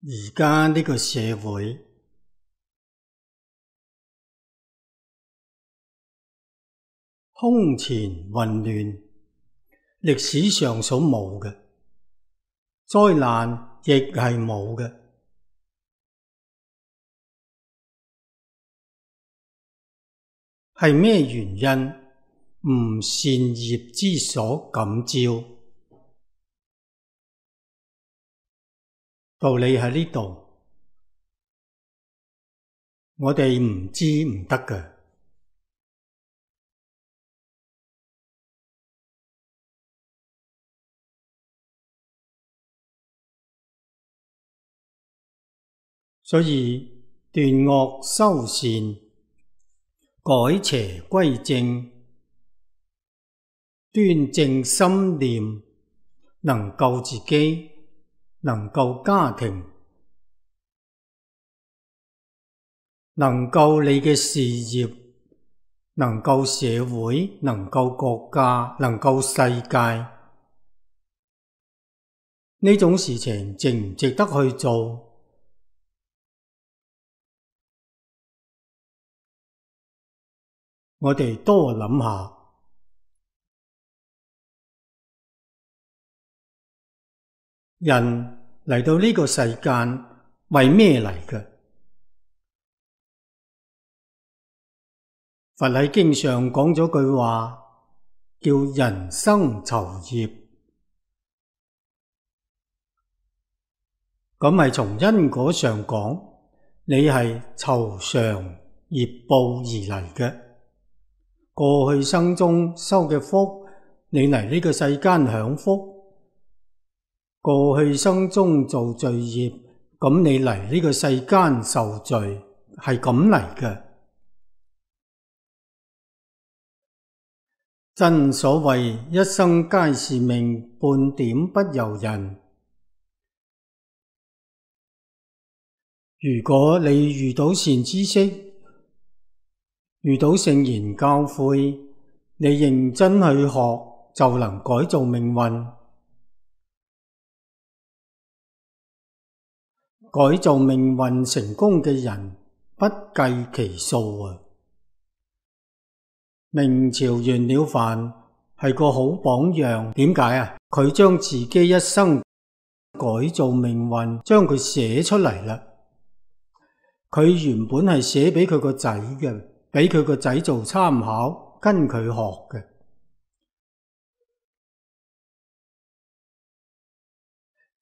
而家呢個社會空前混亂，歷史上所冇嘅災難亦係冇嘅。係咩原因？唔善業之所感召。道理喺呢度，我哋唔知唔得嘅。所以斷惡修善，改邪歸正，端正心念，能救自己，能救家庭，能救你嘅事業，能救社會，能救國家，能救世界。呢種事情值唔值得去做？我哋多諗下。人嚟到呢個世間為咩嚟嘅？佛喺經上講咗句話，叫人生酬業。咁係從因果上講，你係酬償業報而嚟嘅。過去生中修嘅福，你嚟呢個世間享福；過去生中做罪業，咁你嚟呢個世間受罪，係咁嚟嘅。真所謂一生皆是命，半點不由人。如果你遇到善知識，遇到聖言教誨，你認真去學，就能改造命運。改造命運成功嘅人不計其數啊！明朝袁了凡係個好榜樣，點解啊？佢將自己一生改造命運，將佢寫出嚟啦。佢原本係寫俾佢個仔嘅，俾佢個仔做參考，跟佢學嘅。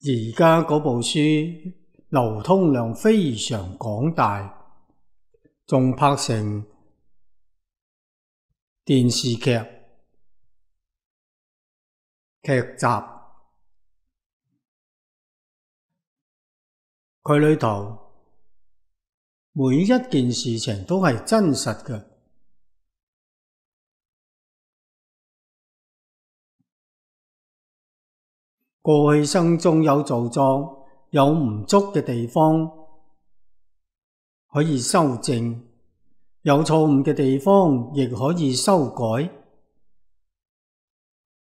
而家嗰部書流通量非常廣大，仲拍成電視劇集。佢裏頭每一件事情都係真實嘅。過去生中有造作，有唔足嘅地方可以修正，有錯誤嘅地方亦可以修改。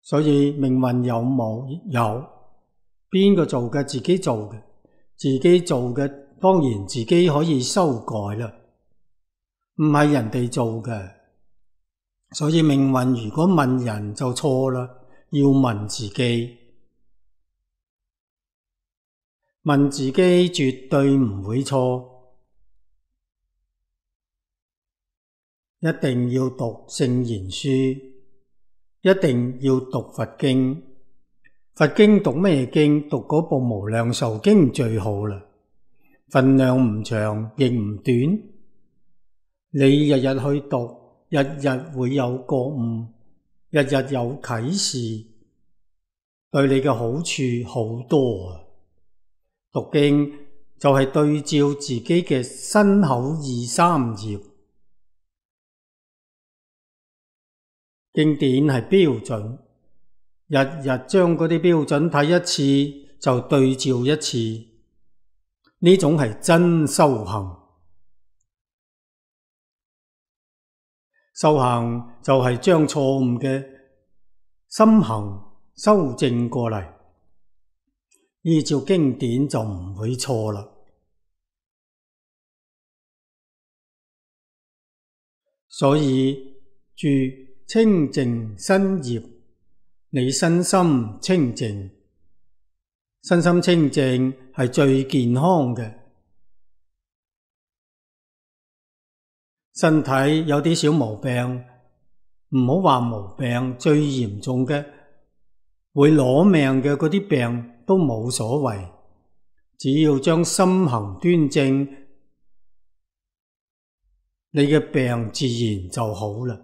所以命運有冇？有。邊個做嘅？自己做嘅。自己做嘅當然自己可以修改啦，唔係人哋做嘅。所以命運如果問人就錯啦，要問自己。問自己絕對唔會錯。一定要讀聖賢書，一定要讀佛經。佛經讀咩經？讀嗰部無量壽經最好啦，分量唔長亦唔短。你日日去讀，日日會有覺悟，日日有啟示，對你嘅好處好多啊！讀經就係對照自己嘅身口意三業，經典係標準，日日將嗰啲標準睇一次就對照一次，呢種係真修行。修行就係將錯誤嘅心行修正過嚟。依照經典就唔會錯啦。所以住清淨身業，你身心清淨，身心清淨係最健康嘅。身體有啲小毛病，唔好話毛病，最嚴重嘅會攞命嘅嗰啲病都冇所謂，只要將心行端正，你嘅病自然就好啦。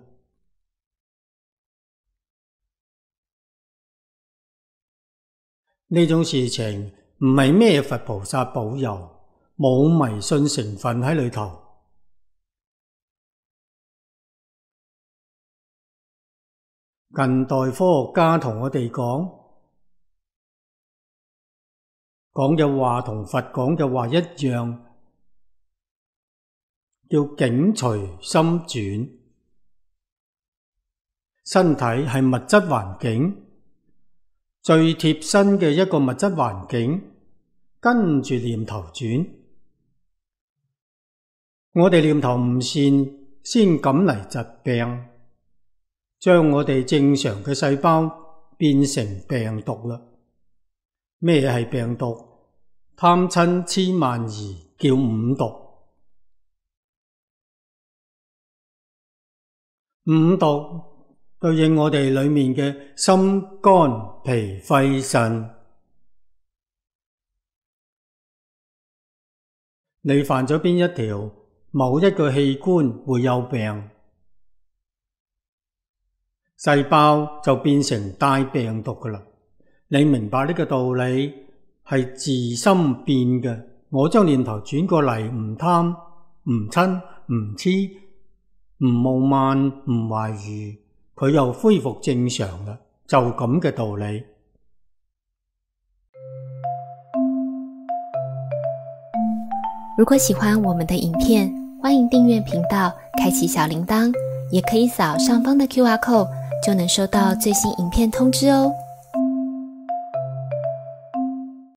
呢種事情唔係咩佛菩薩保佑，冇迷信成分喺裏頭。近代科學家同我哋講嘅話同佛講嘅話一樣，叫境隨心轉。身體係物質環境，最貼身嘅一個物質環境，跟住念頭轉。我哋念頭唔善，先感嚟疾病，將我哋正常嘅細胞變成病毒啦。咩係病毒？貪嗔癡慢疑叫五毒。五毒對應我哋裏面嘅心、肝、脾、肺、腎。你犯咗邊一條，某一個器官會有病，細胞就變成帶病毒㗎喇。你明白呢個道理係自心變嘅。我將念頭轉過嚟，唔貪、唔嗔、唔癡、唔傲慢、唔懷疑，佢又恢復正常啦，就咁嘅道理。如果喜歡我們的影片，歡迎訂閱頻道，開啟小鈴鐺，也可以掃上方的QR code，就能收到最新影片通知哦。